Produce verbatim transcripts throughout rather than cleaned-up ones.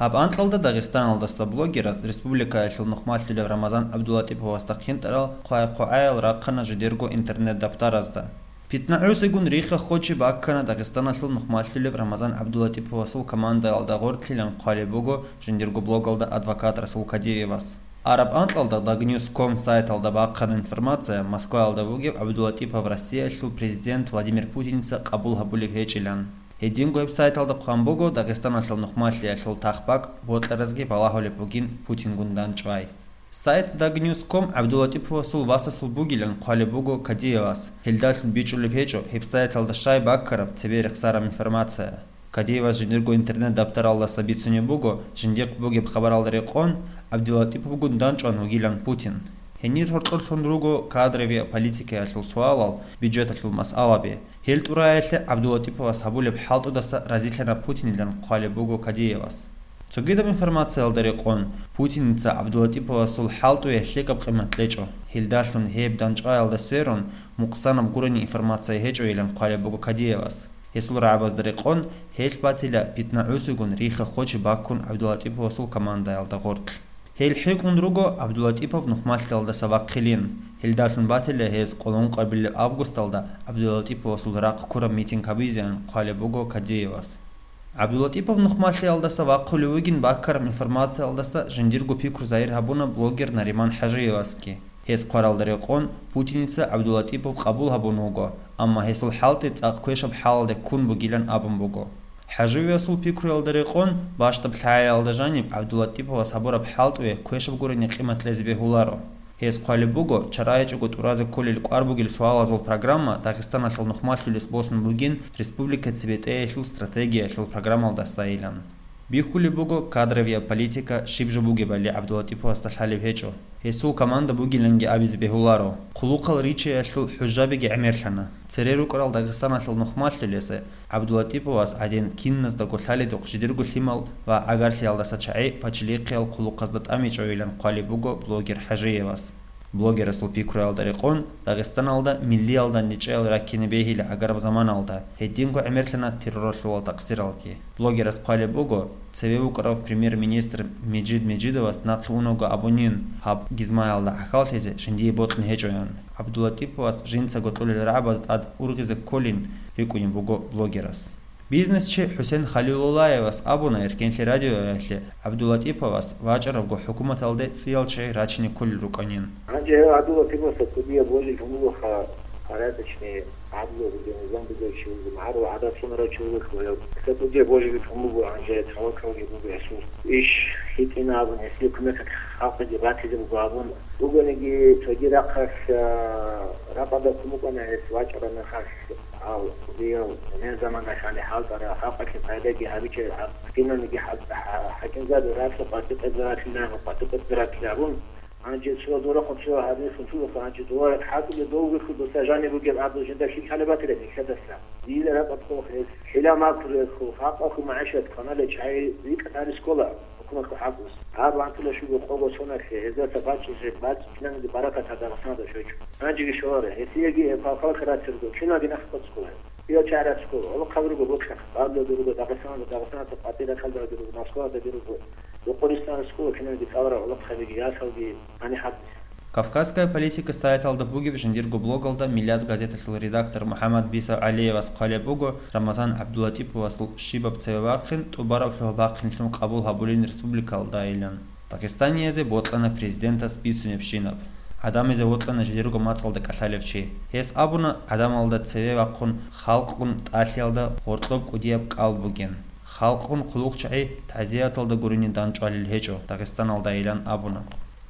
Гьаб анкьалда Дагъистаналдаса блогерас республикаялъул нухмалъулев Рамазан ГӀабдулатӀиповасда хъинтӀарал хъвай-хъвагӀаял рахъана жидерго интернет-даптаразда. ПитнагӀусигун рихха-хочи баккана Дагъистаналъул нухмалъулев Рамазан ГӀабдулатӀиповасул командаялда гъортлъилан хъвалеб буго жиндирго блогалда адвокат Расул Кадиевас. Араб анкьалда Дагньюс ком сайталда бахъана информация Москваялда вугев ГӀабдулатӀипов Россиялъул президент Владимир Путиница къабул гьабулеб гьечӀилан. Гьединго гьеб сайталда хъван буго Дагъистаналъул нухмалъиялъул тахбакӀ бокьаразги балагьулеб бугин Путингун дандчӀвай. Сайт Дагньюс ком ГӀабдулатӀиповасул васасул бугилан хъвалеб буго Кадиевас, гьелдалъун бичӀчӀулеб гьечӀо гьеб сайталда щай баккараб цебе рехсараб информация. Кадиевас жиндирго интернет-даптаралдаса бицунеб буго, жиндихъ бугеб хабаралда рекъон, ГӀабдулатӀиповгун дандчӀван вугилан Путин. Гьенир гьоркьорлъун руго кадровияб политикаялъул суалал, бюджеталъул масъалаби. Гьел тӀураялъе ГӀабдулатӀиповас гьабулеб хӀалтӀудаса разилъана Путинилан хъвалеб буго Кадиевас. Цогидаб информациялда рекъон, Путиница ГӀабдулатӀиповасул хӀалтӀуе лъикӀаб къимат кьечӀо, гьелдалъун гьеб дандчӀваялда сверун, мукъсанаб гурони информация гьечӀойилан хъвалеб буго Кадиевас. Гьесул рагӀабазда рекъон, гьелъ батила питнагӀусигун рихха-хочи баккун ГӀабдулатӀиповасул командаялда гъоркь. Гьел хӀинкъун руго ГӀабдулатӀипов нухмалъиялдаса вахъилин. Гьелдалъун батила гьез къоло ункъабилеб августалда ГӀабдулатӀиповасул рахъ ккураб митинг гьабизеян хъвалеб буго Кадиевас. ГӀабдулатӀипов нухмалъиялдаса вахъулев вугин баккараб информациялдаса жиндирго пикру загьир гьабуна блогер Нариман ХӀажиевасги. Гьес хъваралда рекъон, Путиница ГӀабдулатӀипов къабул гьабун вуго, амма гьесул хӀалтӀи цӀакъ квешаб хӀалалде ккун бугилан абун буго. ХӀажиевасул пикруялда рекъон, бащдаб лъагӀаялда жаниб ГӀабдулатӀиповас гьабураб хӀалтӀуе квешаб гурони къимат кьезе бегьуларо. Гьес хъвалеб буго, чарайчӀого тӀуразе кколел кӀвар бугел суалазул программа Дагъистаналъул нухмалъулес босун бугин республика цебетӀеялъул стратегиялъул программалдасайилан. Бихьулеб буго, кадровияб политика щиб жо бугебали ГӀабдулатӀиповасда лъалеб гьечӀо. Гьесул команда бугиланги абизе бегьуларо. Хъулухъал риччаялъул хӀужабиги гӀемерлъана. Цере рукӀарал Дагъистаналъул нухмалъулесе ГӀабдулатӀиповас гӀадин киназдаго лъалидухъ жидерго лъимал ва гӀагарлъиялдаса чагӀи пачалихъиял хъулухъазда тӀамичӀойилан хъвалеб буго блогер ХӀажиевас. Блогерасул пикруялда рекъон, Дагъистаналда миллиялда нечӀел раккине бегьила гӀагараб заманалда, гьединго гӀемерлъана терроралъулал такъсиралги. Блогерас хъвалеб буго, цеве вукӀарав премьер-министр Межид Межидовас нахъе унаго абунин, гьаб гизмаялда гӀахьаллъизе жиндие бокьун гьечӀоян. ГӀабдулатӀиповас жинцаго кьолел рагӀабаз тӀад ургъизе кколин рикӀкӀунеб буго блогерас. Бизнесчи ХӀусен Халилуллаевас абуна Эркенлъи радиоялъе ГӀабдулатӀиповас вачӀарабго хӀукуматалде цӀиял чагӀи рачине кколел рукӀанин. Гьанже ГӀабдулатӀиповас кӀудияб божи гьумулухъа порядочный, гӀадлу бугеб, низам бугев чи вуго, магӀарул гӀадат цӀунарав чи вуго хьваяв. Кьа кӀудияб божи гьумулго, гьанже тавакалги буго гьесул. Иш хитӀина абун, гьесие кумекалъ халкъиде батизе буго абун. Бугониги, цоги рахъалъ, а, ракӀалда кумукӀана гьес вачӀараб мехалъ. Гьав, дияв, гьенир заманалъ гьале хӀалтӀара, халкъалъе пайдаги гьабичӀеб, гьаб, киналниги хӀал-, хӀа-, хӀакимзаби ракьа къватӀи-къватӀи ракьилан, къватӀи-къватӀи ракьилан абун, гьанже цо дорахъун цо гьадин хутулаха, гьанже дова хӀакъиде довгехъу доса жаниб бугеб абу жинда хил хӀалебатила нилъедаса. Дила ракӀа хъухъ гьез, хӀила макру реху, хакъахъу магӀишат кваналел чагӀи рикӀкӀад гьари скола. ХӀукуматго хӀакъ буго. Гьаб вантула щуго къого соналъе, гьездаса бачӀизе, бацӀцӀинанги баракат гьаб Дагъистаналда щвечӀо. Гьанжеги щоларо, гьесиеги гьеб халкъалъе рацарго, киналги нахъ кӀоцӀ ккола. Кияв чагӀи рацарго, гӀолохъаби руго бокьа, Бабиялда руго, Дагъистаналда, Дагъистаналда къватӀир рахъалдаги руго, Москваялдаги руго, Докъористан рускула киналги цӀаларал гӀолохъабиги, ясалги, гьаниб хӀакъ. Кавказская политика сайталда бугеб жиндирго блогалда Миллият газеталъул редактор МухӀаммад Бисав ГӀалиевас хъвалеб буго, Рамазан ГӀабдулатӀиповасул щибаб цеве вахъин, тӀубараб лъугьа-бахъинлъун къабул гьабулин республикалдайилан. Дагъистаниязе бокьана президентас бицунебщинаб. ГӀадамазе вокьана жидерго мацӀалда кӀалъалев чи. Гьес абуна, гӀадамалда цеве вахъун халкъгун тӀалъиялда гъоркьоб кӀудияб кӀал бугин. Халкъгун хъулухъчагӀи тазияталда гурони дандчӀвалел гьечӀо Дагъистаналдайилан абуна.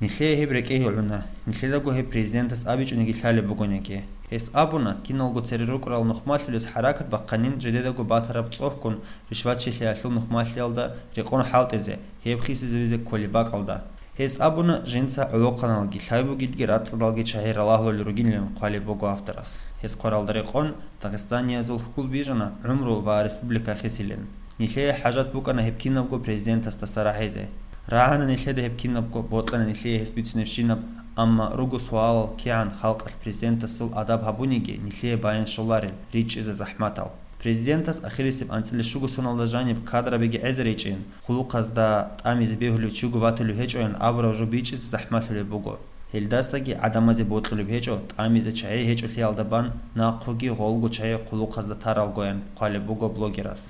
Нилъее гьеб рекӀее гӀуна, нилъедаго гьеб президентас абичӀониги лъалеб бугониги. Гьес абуна, киналго цере рукӀарал нухмалъулес хӀаракат бахъанин жидедаго батараб цӀохӀгун ришватчилъиялъул нухмалъиялда рекъон хӀалтӀизе, гьеб хисизавизе кколеб бакӀалда. Гьес абуна, жинца гӀолохъаналги, лъай бугелги рацӀцӀадалги чагӀи ралагьулел ругилан хъвалеб буго авторас. Гьес хъваралда рекъон, дагъистаниязул хьул бижана гӀумру ва республика хисилин. Нилъее хӀажат букӀана гьеб кинабго президентасдаса рагӀизе. РагӀана нилъеда гьеб кинабго, бокьана нилъее гьес бицунебщинаб, амма руго суалал, кигӀан халкъалъ президентасул адаб гьабуниги нилъее баян щоларел, ричӀчӀизе захӀматал. Президентас ахирисеб анцӀила щуго соналда жаниб кадрабиги гӀезаричӀин, хъулухъазда тӀамизе бегьулев чиго ватулев гьечӀоян абураб жо бичӀчӀизе захӀмалъулеб буго. Гьелдасаги гӀадамазе бокьулеб гьечӀо, тӀамизе чагӀи гьечӀолъиялда бан нахъуги гъолго чагӀи хъулухъазда таралгоян хъвалеб буго блогерас.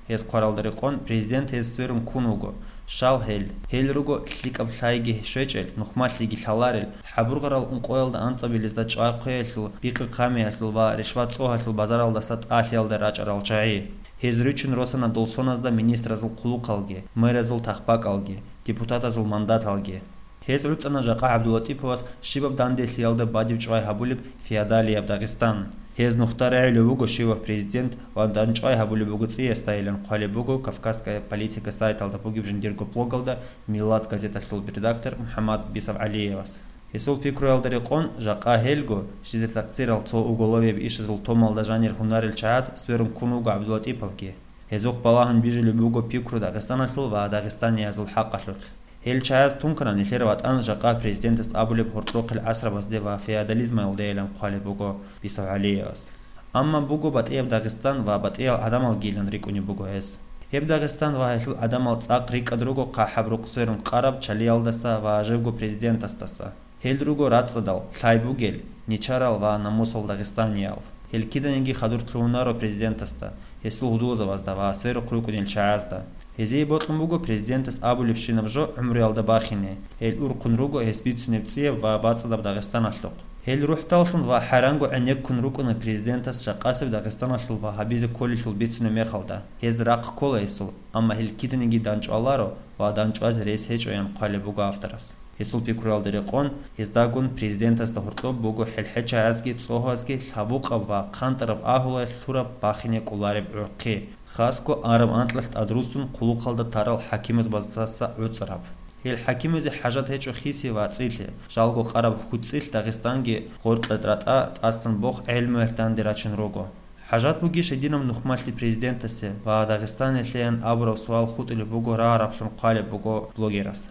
Гьез хъваралда рекъон, президент гьез сверун ккун вуго. Щал гьел? Гьел руго лъикӀаб лъайги щвечӀел, нухмалъиги лъаларел, хӀабургъарал ункъоялда анцӀабилезда чӀвай хъвеялъул, бикъи-хъамиялъул ва ришват-цӀогьалъул базаралдаса тӀалъиялда рачӀарал чагӀи. Гьез ручун росана дол соназда министразул хъулухъалги, мэрзул тахбакӀалги, депутатазул мандаталги. Гьез гӀуцӀана жакъа ГӀабдулатӀиповас щибаб данделъиялда бадиб чӀвай гьабулеб феодалияб Дагъистан. Гьез нухда регӀулев вуго щивав президент ва дандчӀвай гьабулеб буго цӀиясдайилан хъвалеб буго «Кавказская политика» сайталда бугеб жиндирго блогалда «Миллат» газеталъул редактор МухӀаммад Бисав ГӀалиевас. Гьесул пикруялда рекъон, жакъа гьелго, жидер такъсирал цо уголовияб ишазул томалда жанир гьунарел чагӀаз сверун ккун вуго ГӀабдулатӀиповги. Гьезухъ балагьун бижулеб буго пикру Дагъистаналъул ва дагъистаниязул хӀакъалъулъ. Гьел чагӀаз тункана нилъер ватӀан жакъа президентас абулеб гьоркьохъел гӀасрабазде ва феодализмалдейилан хъвалеб буго Бисав ГӀалиевас. Амма буго батӀияб Дагъистан ва батӀиял гӀадамалгийилан рикӀкӀунеб буго гьес. Гьеб Дагъистан ва гьелъул гӀадамал цӀакъ рикӀкӀад руго хъахӀаб рукъ сверун къараб чалиялдаса ва жебго президентасдаса. Гьел руго рацӀцӀадал, лъай бугел, нечарал ва намусал дагъистаниял. Гьел киданиги хадур лъугьунаро президентасда, гьесул гьудулзабазда ва сверухъ рукӀунел чагӀазда. Гьезие бокьун буго президентас абулебщинаб жо гӀумруялда бахине, гьел урхъун руго гьес бицунеб цӀияб ва бацӀцӀадаб Дагъистаналъухъ. Гьел рухӀдаллъун ва хӀаранго гӀенеккун рукӀуна президентас жакъасеб Дагъистаналъул ва гьабизе кколелъул бицунеб мехалда. Гьез рахъ ккола гьесул, амма гьел киданиги данчӀваларо ва данчӀвазе рес гьечӀоян хъвалеб буго авторас. Гьесул пикруялда рекъон, гьездагун президентасда гьоркьоб буго хӀелчагӀазги цӀогьазги лъабукъаб ва хъантӀараб агьлуялъ лъураб бахине кӀолареб гӀурхъи, хасго араб анкьалъ тӀадруссун хъулухъалда тарал хӀакимазбаздаса гӀуцӀараб. Гьел хӀакимазе хӀажат гьечӀо хисе ва цӀилъе, жалго къараб хьуцӀилъ Дагъистанги гъоркье тӀратӀа тӀасан бохъ гӀелмуялъ данде рачун руго. ХӀажат бугищ гьединаб нухмалъи президентасе ва Дагъистаналъеян абураб суал хутӀулеб буго рагъараблъун хъвалеб буго блогерас.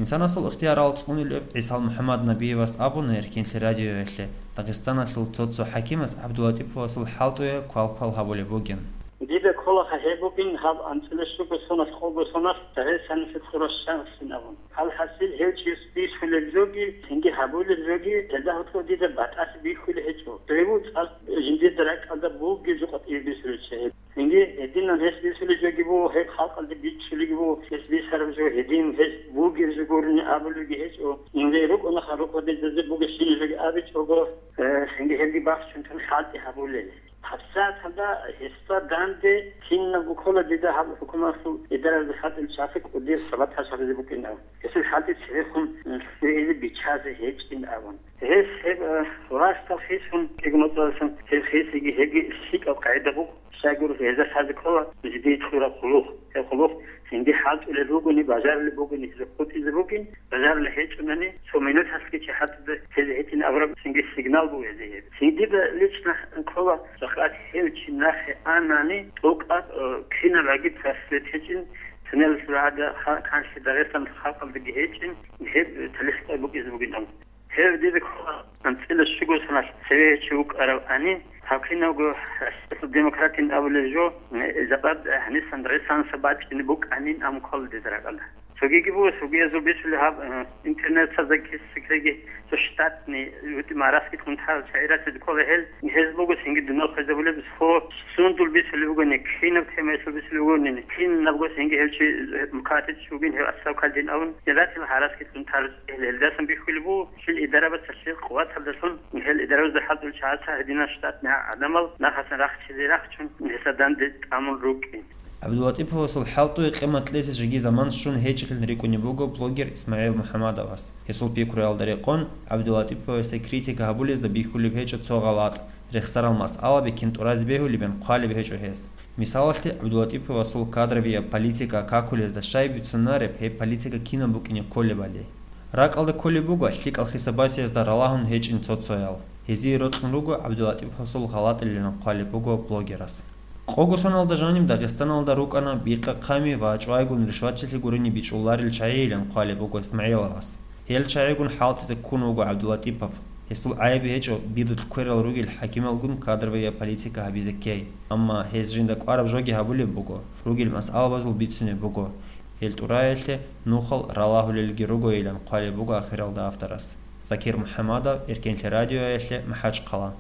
Инсанасул ихтиярал цӀунулев ГӀисал МухӀаммаднабиевас абуна Эркинлъи радиоялъе Дагъистаналъул цо-цо хӀакимас ГӀабдулатӀиповасул хӀалтӀуе квал-квал гьабулеб бугин. Дида кколаха гьеб бугин гьаб анцӀила щуго соналъ, къого соналъ Дагъистаналъе ккурав шагьсин абун. Гьал хӀасил гьев чияс бихьулеб жоги, цинги гьабулеб жоги, гьелда гьоркьоб дида батӀалъи бихьулеб гьечӀо. Дойгу цӀакъ жиндирда ракӀалда бугеб жо къватӀибе бихьулел чагӀи. Цинги гьединан гьес бихьулеб жоги буго, гьеб халкъалде бичӀчӀулебги буго, гьес бихьараб жо гьедин, гьес бугеб жо гурони абулебги гьечӀо. Инжее рукӀунаха рукъадизазе бугебщинаб жоги абичӀого, э, цинги гьелги бахчун тун хӀалтӀи гьабулел. ГьабсагӀаталда гьесда данде кинабго ккола дида гьаб хӀукуматалъул идараялда хӀалтӀулел чагӀаца кӀудияб сабат гьабизе букӀин абун. Гьесул хӀалтӀи цебехун лъугӀизе биччазе гьечӀин абун. Гьес гьеб, э, рагъалъ хисун, кӀиго моцӀалъун гьеб хисиги гьебги лъикӀаб къагӀида буго, щайгуро гьезда лъазе ккола жидее кьураб хъулухъ. Гьеб хъулухъ цинги хӀалтӀулел ругони, бажарулеб бугони, гьезда хутӀизе бугин, бажарулеб гьечӀунани, цо минуталъги чи хӀалтӀуда тезе гьечӀин абураб цинги сигнал буго гьезие гьеб. Цинги дида лично ккола, жакъа гьев чи нахъе анани, тӀокӀаб, э, кинаб агитация гьечӀин, сунелалъул гӀада ха-, канлъи Дагъистан халкъалдаги гьечӀин, гьеб талихӀ букӀизе бугин абун. Гьев дида ккола анцӀила щуго соналъ цеве гьечӀев вукӀарав ани, гьав кинавго демократин абулеб жо, э, жакъа гьанисан Дагъистаналъа бачӀине букӀанин абун ккола дида ракӀалда. Цогиги буго, цогиязул бицулеб гьаб, э, интернетазда кисикеги, цо штатный, ютӀи мараскилъун тарал чагӀи рацӀцӀад ккола гьел, гьез буго цинги дунал хвезабулеб, цо сундул бицулеб бугони, кинаб темаялъул бицулеб бугони, кинабго цинги гьев чи, э, мукатиц вугин, гьев отставкалдин абун, гьел ратил гьараскилъун тарал гьел, гьелдасан бихьулеб буго, гьел идарабаца гьел къуваталдалъун, гьел идарабазда хӀалтӀул чагӀаца гьединал штатный гӀадамал нахъасан рахчизе рахчун, гьесда данде тӀамун рукӀин. ГӀабдулатӀиповасул хӀалтӀуе къимат кьезе жеги заман щун гьечӀилан рикӀкӀунеб буго блогер ИсмагӀил МухӀамадовас. Гьесул пикруялда рекъон, ГӀабдулатӀиповасе критика гьабулезда бихьулеб гьечӀо цо гъалатӀ, рехсарал масъалаби кин тӀуразе бегьулебин хъвалеб гьечӀо гьес. Мисалалъе, ГӀабдулатӀиповасул кадровияб политика какулезда щай бицунареб, гьеб политика кинаб букӀине кколебали. РакӀалда кколеб буго лъикӀал хисабасиязда ралагьун гьечӀин цо-цоял. Гьезие рокьун руго ГӀабдулатӀиповасул гъалатӀилилан хъвалеб буго блогерас. Къого соналда жаниб Дагъистаналда рукӀана бикъа-хъами ва чӀвайгун ришватчилъи гурони бичӀчӀуларел чагӀийилан хъвалеб буго ИсмагӀиловас. Гьел чагӀигун хӀалтӀизе ккун вуго ГӀабдулатӀипов. Гьесул гӀайиб гьечӀо бидулъ кверал ругел хӀакималгун кадровая политика гьабизе ккей, амма гьез жинда кӀвараб жоги гьабулеб буго, ругел масъалабазул бицунеб буго. Гьел тӀураялъе нухал ралагьулелги ругойилан хъвалеб буго ахиралда авторас. Закир МухӀамадов, Эркенлъи радиоялъе, МахӀачхъала.